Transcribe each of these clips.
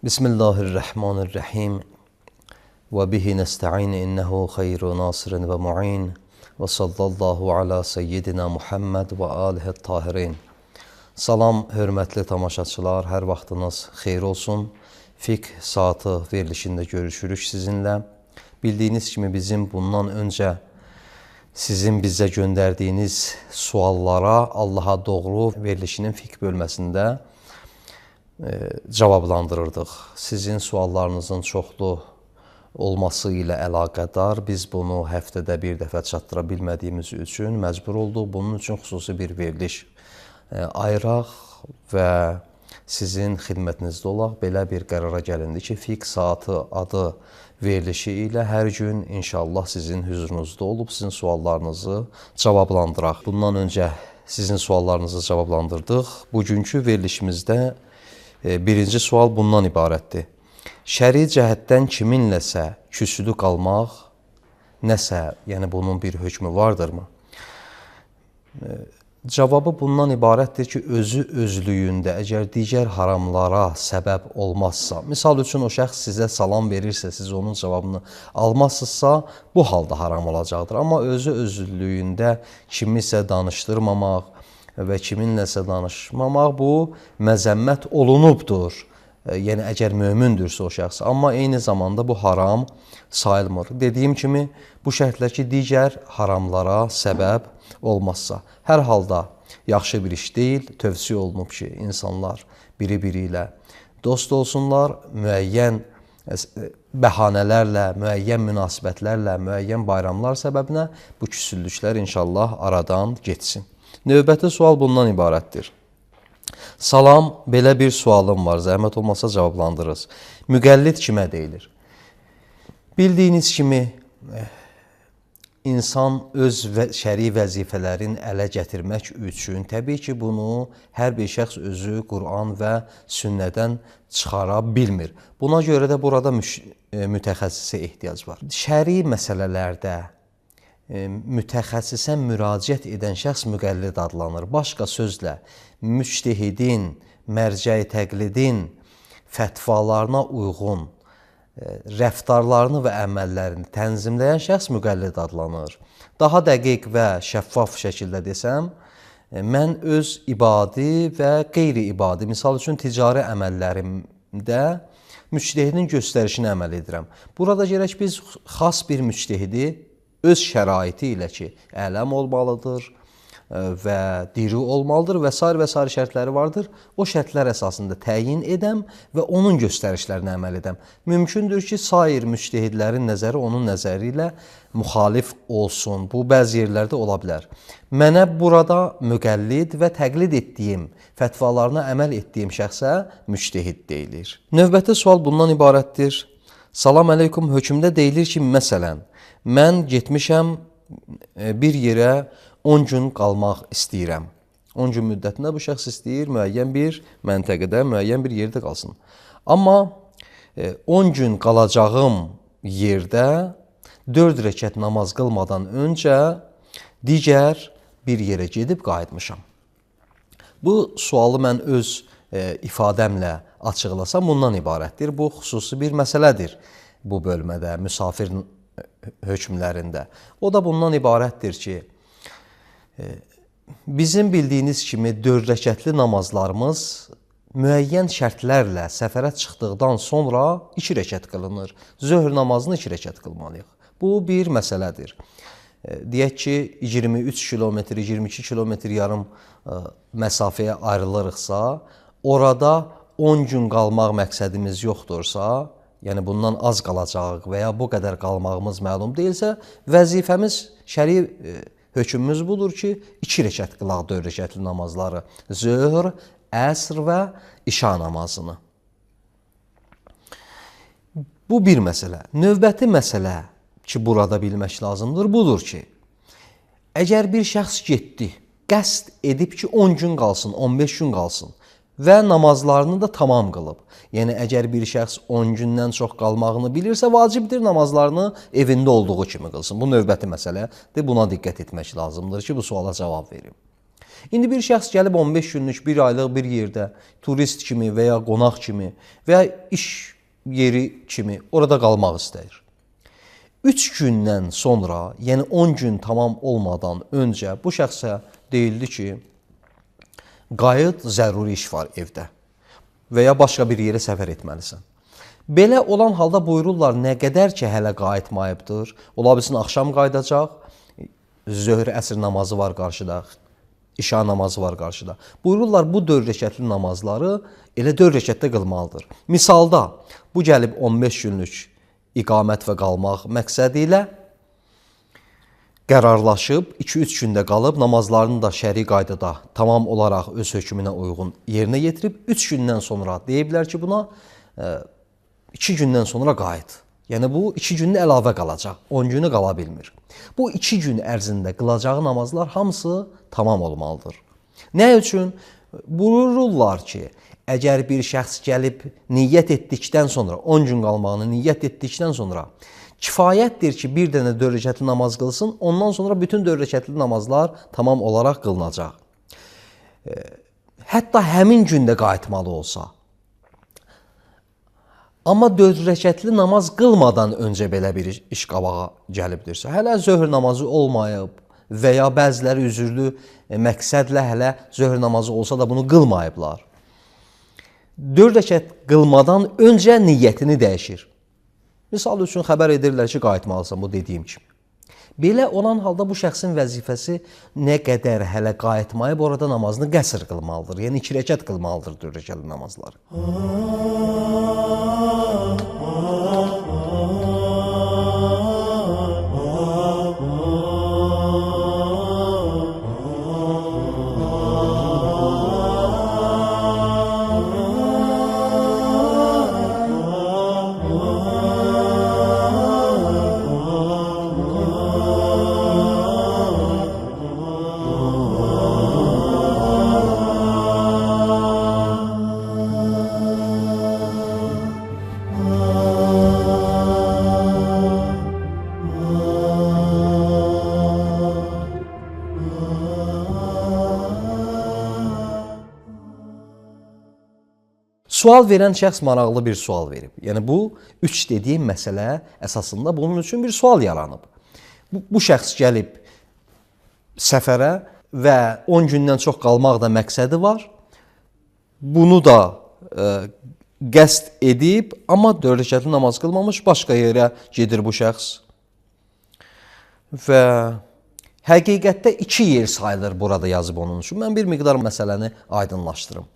Bismillahirrahmanirrahim. Ve bihi nesta'in innehu hayru nasirin ve mu'in. Ve sallallahu ala seyyidina Muhammed ve alihi tahirin. Salam, hörmətli tamaşaçılar, hər vaxtınız xeyir olsun. Fiqh saatı verilişində görüşürük sizinlə. Bildiyiniz kimi bizim bundan öncə sizin bizə göndərdiyiniz suallara Allaha doğru verilişinin fiqh bölməsində cavablandırırdıq. Sizin suallarınızın çoxlu olması ilə əlaqədar biz bunu həftədə bir dəfə çatdıra bilmədiyimiz üçün məcbur olduq. Bunun üçün xüsusi bir veriliş ayıraq və sizin xidmətinizdə olaq. Belə bir qərara gəlindi ki, Fiqh Saatı adı verilişi ilə hər gün inşallah sizin hüzurunuzda olub sizin suallarınızı cavablandıraq. Bundan öncə sizin suallarınızı cavablandırdıq. Bugünkü verilişimizdə birinci sual bundan ibarətdir. Şəri cəhətdən kiminləsə küsülü qalmaq nəsə, yəni bunun bir hökmü vardırmı? Cavabı bundan ibarətdir ki, özü özlüyündə əgər digər haramlara səbəb olmazsa, misal üçün o şəxs sizə salam verirsə, siz onun cavabını almazsınızsa, bu halda haram olacaqdır. Amma özü özlüyündə kimisə danışdırmamaq və kiminləsə danışmamaq bu məzəmmət olunubdur. Yəni, əgər mömündürsə o şəxs. Amma eyni zamanda bu haram sayılmır. Dediyim kimi, bu şərtlə ki, digər haramlara səbəb olmazsa. Hər halda yaxşı bir iş deyil, tövsiyə olunub ki, insanlar biri-biri ilə dost olsunlar, müəyyən bəhanələrlə, müəyyən münasibətlərlə, müəyyən bayramlar səbəbinə bu küsüllüklər inşallah aradan geçsin. Növbəti sual bundan ibarətdir. Salam, belə bir sualım var, zəhmət olmasa cavablandırırız. Müqəllid kimə deyilir? Bildiyiniz kimi, insan öz şəri vəzifələrin ələ gətirmək üçün, təbii ki, bunu hər bir şəxs özü Qur'an və sünnədən çıxara bilmir. Buna görə də burada mütəxəssisə ehtiyac var. Şəri məsələlərdə mütəxəssisə müraciət edən şəxs müqəllid adlanır. Başqa sözlə, müctehidin, mərcəi təqlidin fətvalarına uyğun rəftarlarını və əməllərini tənzimləyən şəxs müqəllid adlanır. Daha dəqiq və şəffaf şəkildə desəm, mən öz ibadi və qeyri-ibadi, misal üçün ticari əməllərimdə müctehidin göstərişini əməl edirəm. Burada gərək biz xas bir müctehidi öz şəraiti ilə ki, ələm olmalıdır və diri olmalıdır və s. şərtləri vardır. O şərtlər əsasında təyin edəm və onun göstərişlərinə əməl edəm. Mümkündür ki, sair müctehidlərin nəzəri onun nəzəri ilə müxalif olsun. Bu, bəzi yerlərdə ola bilər. Mənə burada müqəllid və təqlid etdiyim, fətvalarına əməl etdiyim şəxsə müctehid deyilir. Növbəti sual bundan ibarətdir. Salam əleykum, hökmdə deyilir ki, məsələn, mən getmişəm bir yerə 10 gün qalmaq istəyirəm. 10 gün müddətində bu şəxs istəyir müəyyən bir məntəqədə, müəyyən bir yerdə qalsın. Amma 10 gün qalacağım yerdə 4 rəkət namaz qılmadan öncə digər bir yerə gedib qayıtmışam. Bu sualı mən öz ifadəmlə açıqlasam bundan ibarətdir. Bu xüsusi bir məsələdir bu bölmədə, müsafir hökmlərində. O da bundan ibarətdir ki, bizim bildiyiniz kimi 4 rəkətli namazlarımız müəyyən şərtlərlə səfərə çıxdıqdan sonra 2 rəkət qılınır. Zöhr namazını 2 rəkət qılmalıyıq. Bu bir məsələdir. Deyək ki, 23 kilometr, 22 kilometr yarım məsafəyə ayrılırıqsa, orada 10 gün qalmaq məqsədimiz yoxdursa, yəni bundan az qalacaq və ya bu qədər qalmağımız məlum deyilsə, vəzifəmiz, şəri hökmümüz budur ki, 2 rəkət qılaq 4 rəkətli namazları, zöhr, əsr və işa namazını. Bu bir məsələ. Növbəti məsələ ki, burada bilmək lazımdır, budur ki, əgər bir şəxs getdi, qəsd edib ki, 10 gün qalsın, 15 gün qalsın və namazlarını da tamam qılıb. Yəni, əgər bir şəxs 10 gündən çox qalmağını bilirsə, vacibdir namazlarını evində olduğu kimi qılsın. Bu növbəti məsələdir, buna diqqət etmək lazımdır ki, bu suala cavab verim. İndi bir şəxs gəlib 15 günlük, bir aylıq bir yerdə turist kimi və ya qonaq kimi və ya iş yeri kimi orada qalmaq istəyir. 3 gündən sonra, yəni 10 gün tamam olmadan öncə bu şəxsə deyildi ki, qayıt, zəruri iş var evdə və ya başqa bir yerə səfər etməlisən. Belə olan halda buyururlar, nə qədər ki, hələ qayıtmayıbdır, ola bilsin axşam qayıdacaq, zöhr əsr namazı var qarşıda, işa namazı var qarşıda. Buyururlar, bu 4 rəkətli namazları elə 4 rəkətdə qılmalıdır. Misalda, bu gəlib 15 günlük iqamət və qalmaq məqsədi ilə qərarlaşıb, 2-3 gündə qalıb, namazlarını da şəri qaydada tamam olaraq öz hökmünə uyğun yerinə yetirib, 3 gündən sonra deyiblər ki, buna 2 gündən sonra qayıt. Yəni bu 2 günün əlavə qalacaq, 10 günü qala bilmir. Bu 2 gün ərzində qılacağı namazlar hamısı tamam olmalıdır. Nə üçün? Buyururlar ki, əgər bir şəxs gəlib niyyət etdikdən sonra, 10 gün qalmağını niyyət etdikdən sonra kifayətdir ki, bir dənə 4 rəkətli namaz qılsın, ondan sonra bütün 4 rəkətli namazlar tamam olaraq qılınacaq. Hətta həmin gündə qayıtmalı olsa. Amma 4 rəkətli namaz qılmadan öncə belə bir iş qabağa gəlibdirsə, hələ zöhr namazı olmayıb və ya bəziləri üzürlü məqsədlə hələ zöhr namazı olsa da bunu qılmayıblar. 4 rəkət qılmadan öncə niyyətini dəyişir. Misal üçün xəbər edirlər ki, qayıtmalısan, bu dediyim kimi. Belə olan halda bu şəxsin vəzifəsi nə qədər hələ qayıtmayıb orada namazını qəsr qılmalıdır. Yəni 2 rəkət qılmalıdır 4 rəkətli namazları. Sual verən şəxs maraqlı bir sual verib. Yəni bu 3 dediyim məsələ əsasında bunun üçün bir sual yaranıb. Bu şəxs gəlib səfərə və 10 gündən çox qalmaq da məqsədi var. Bunu da qəsd edib, amma 4 rəkətli namaz qılmamış, başqa yerə gedir bu şəxs. Və həqiqətdə 2 yer sayılır burada yazıb onun üçün. Mən bir miqdar məsələni aydınlaşdırım.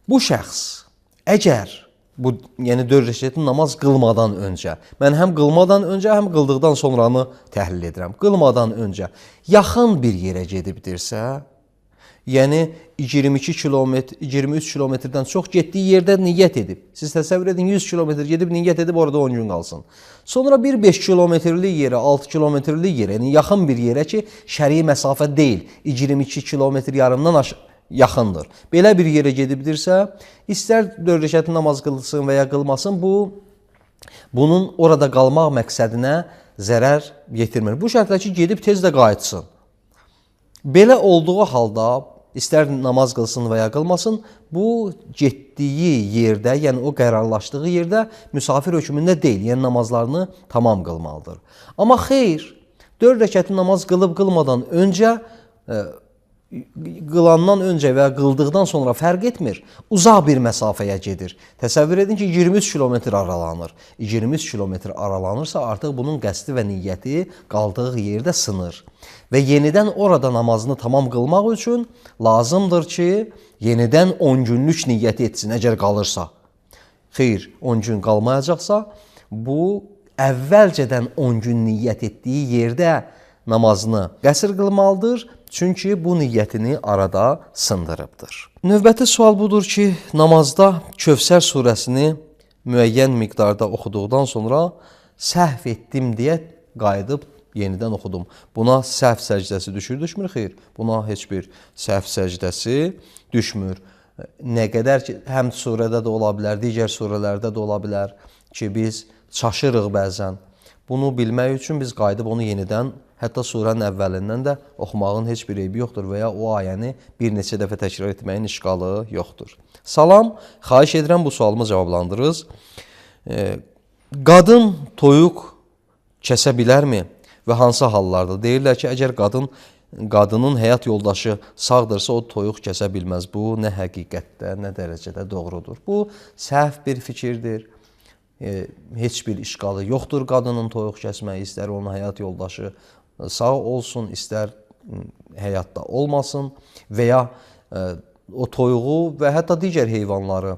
Bu şəxs əgər bu, yəni 4 rəkətli namaz qılmadan öncə, mən həm qılmadan öncə, həm qıldıqdan sonranı təhlil edirəm. Qılmadan öncə yaxın bir yerə gedibdirsə, yəni 22 kilometr, 23 kilometrdən çox getdiyi yerdə niyyət edib. Siz təsəvvür edin, 100 kilometr gedib niyyət edib orada 10 gün qalsın. Sonra bir 5 kilometrlik yerə, 6 kilometrlik yerə, yəni yaxın bir yerə ki, şəri məsafə deyil, 22 kilometr yarımdan yaxındır. Belə bir yerə gedibdirsə, istər 4 rəkətli namaz qılsın və ya qılmasın, bunun orada qalmaq məqsədinə zərər yetirmir. Bu şərtlə ki, gedib tez də qayıtsın. Belə olduğu halda, istər namaz qılsın və ya qılmasın, bu getdiyi yerdə, yəni o qərarlaşdığı yerdə müsafir hökmündə deyil, yəni namazlarını tamam qılmalıdır. Amma xeyr, 4 rəkətli namaz qılıb-qılmadan öncə, qılandan öncə və ya qıldıqdan sonra fərq etmir, uzaq bir məsafəyə gedir. Təsəvvür edin ki, 23 kilometr aralanır. 23 kilometr aralanırsa, artıq bunun qəsdi və niyyəti qaldığı yerdə sınır. Və yenidən orada namazını tamam qılmaq üçün lazımdır ki, yenidən 10 günlük niyyəti etsin, əgər qalırsa. Xeyr, 10 gün qalmayacaqsa, bu əvvəlcədən 10 gün niyyət etdiyi yerdə namazını qəsr qılmalıdır. Çünki bu niyyətini arada sındırıbdır. Növbəti sual budur ki, namazda Kövsər surəsini müəyyən miqdarda oxuduqdan sonra səhv etdim deyə qayıdıb yenidən oxudum. Buna səhv səcdəsi düşmür? Xeyr, buna heç bir səhv səcdəsi düşmür. Nə qədər ki, həm surədə də ola bilər, digər surələrdə də ola bilər ki, biz çaşırıq bəzən. Bunu bilmək üçün biz qayıdıb onu yenidən Hətta surənin əvvəlindən də oxumağın heç bir eybi yoxdur və ya o ayəni bir neçə dəfə təkrar etməyin işğalı yoxdur. Salam, xahiş edirəm bu sualımı cavablandırınız. Qadın toyuq kəsə bilərmi və hansı hallarda? Deyirlər ki, əgər qadının həyat yoldaşı sağdırsa o toyuq kəsə bilməz. Bu nə həqiqətdə, nə dərəcədə doğrudur? Bu səhv bir fikirdir. Heç bir işğalı yoxdur qadının toyuq kəsməyi, istər onun həyat yoldaşı sağ olsun, istər həyatda olmasın və ya o toyuğu və hətta digər heyvanları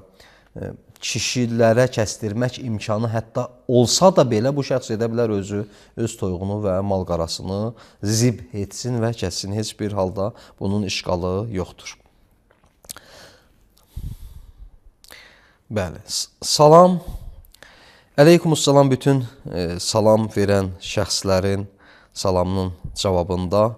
kişilərə kəsdirmək imkanı hətta olsa da belə bu şəxs edə bilər öz toyuğunu və mal-qarasını zib etsin və kəssin. Heç bir halda bunun işğalı yoxdur. Bəli, salam. Əleykumussalam bütün salam verən şəxslərin salamının cavabında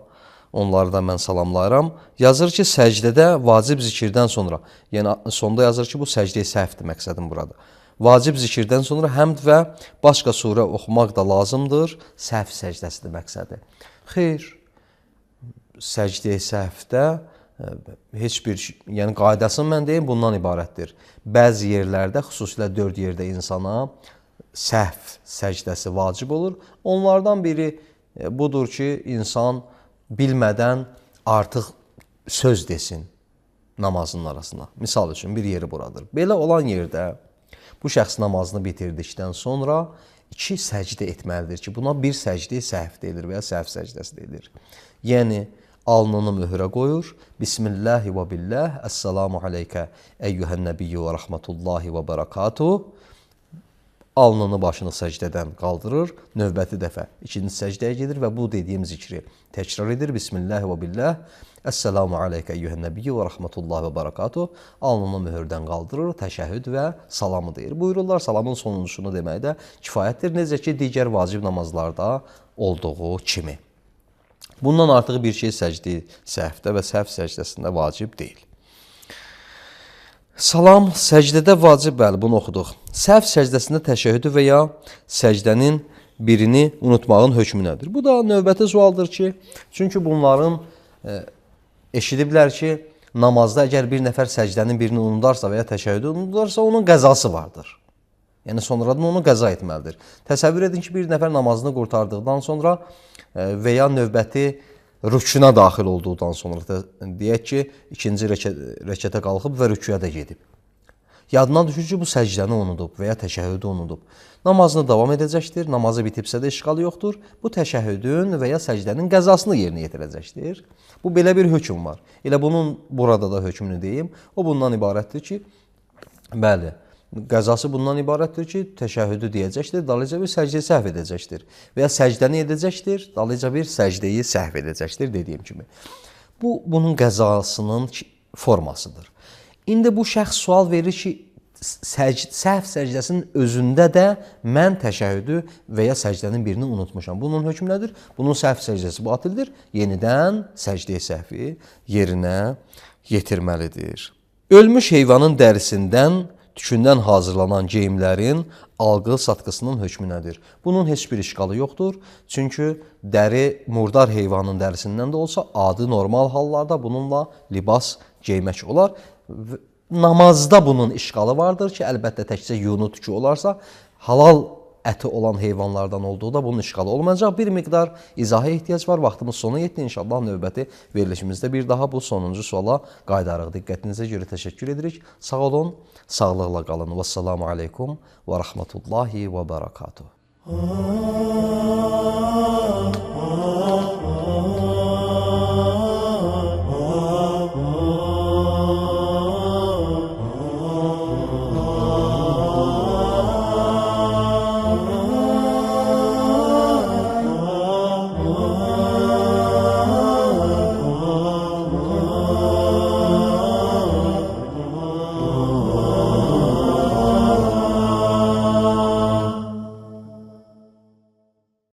onları da mən salamlayıram. Yazır ki, səcdədə vacib zikirdən sonra, yəni sonda yazır ki, bu səcdə-i səhvdir məqsədim burada. Vacib zikirdən sonra həmd və başqa surə oxumaq da lazımdır. Səhv səcdəsidir məqsədi. Xeyr, səcdə-i səhvdə heç bir, yəni qaydasını mən deyim, bundan ibarətdir. Bəzi yerlərdə, xüsusilə 4 yerdə insana səhv səcdəsi vacib olur. Onlardan biri budur ki, insan bilmədən artıq söz desin namazının arasına. Misal üçün bir yeri buradır. Belə olan yerdə bu şəxs namazını bitirdikdən sonra 2 səcdə etməlidir ki, buna bir səcdə-i səhv deyilir və ya səhv səcdəsi deyilir. Yəni, alnını möhrə qoyur. Bismillahi və billah, əssalamu aleykə əyyuhən nəbiyyü və rəhmətullahi və bərəkatuh. Alnını başını səcdədən qaldırır, növbəti dəfə ikinci səcdəyə gedir və bu dediyim zikri təkrar edir. Bismillahi və billah, əssalamu aleykə əyyuhən nəbiyyü və rəhmətullahi və bərəkatuh. Alnını möhürdən qaldırır, təşəhhüd və salamı deyir. Buyururlar, salamın sonuncusunu demək də kifayətdir. Necə ki, digər vacib namazlarda olduğu kimi. Bundan artıq bir şey səcdə səhvdə və səhv səcdəsində vacib deyil. Salam, səcdədə vacib, bəli, bunu oxuduq. Səhv səcdəsində təşəhhüdü və ya səcdənin birini unutmağın hökmü nədir? Bu da növbəti sualdır ki, çünki bunların eşidiblər ki, namazda əgər bir nəfər səcdənin birini unudarsa və ya təşəhhüdü unudarsa, onun qəzası vardır. Yəni, sonradan onu qəza etməlidir. Təsəvvür edin ki, bir nəfər namazını qurtardıqdan sonra və ya növbəti rükuna daxil olduqdan sonra, deyək ki, ikinci rəkətə qalxıb və rükuya da gedib. Yadına düşür ki, bu səcdəni unudub və ya təşəhhüdü unudub. Namazını davam edəcəkdir, namazı bitibsə də işğalı yoxdur. Bu təşəhhüdün və ya səcdənin qəzasını yerinə yetirəcəkdir. Bu, belə bir hökm var. Elə bunun burada da hökmünü deyim. O bundan ibarətdir ki, bəli, qəzası bundan ibarətdir ki, təşəhhüdü deyəcəkdir, dalıca bir səcdəyi səhv edəcəkdir. Və ya səcdəni edəcəkdir, dalıca bir səcdəyi səhv edəcəkdir, dediyim kimi. Bu, bunun qəzasının formasıdır. İndi bu şəxs sual verir ki, səhv səcdəsinin özündə də mən təşəhhüdü və ya səcdənin birini unutmuşam. Bunun hökmü nədir? Bunun səhv səcdəsi batildir. Yenidən səcdəyi səhvi yerinə yetirməlidir. Ölmüş heyvanın dərisindən, tükündən hazırlanan geyimlərin alqı-satqısının hökmü nədir? Bunun heç bir işğalı yoxdur. Çünki dəri murdar heyvanın dərisindən də olsa, adi normal hallarda bununla libas geymək olar. Namazda bunun işğalı vardır ki, əlbəttə təkcə yunu tükü olarsa, halal əti olan heyvanlardan olduğu da bunun işğalı olmayacaq. Bir miqdar izaha ehtiyac var. Vaxtımız sona yetdi. İnşallah növbəti verilişimizdə bir daha bu sonuncu suala qayıdarıq. Diqqətinizə görə təşəkkür edirik. Sağ olun, sağlıqla qalın. Vəssalamu aleykum və rəhmətullahi və bərəkatuhu.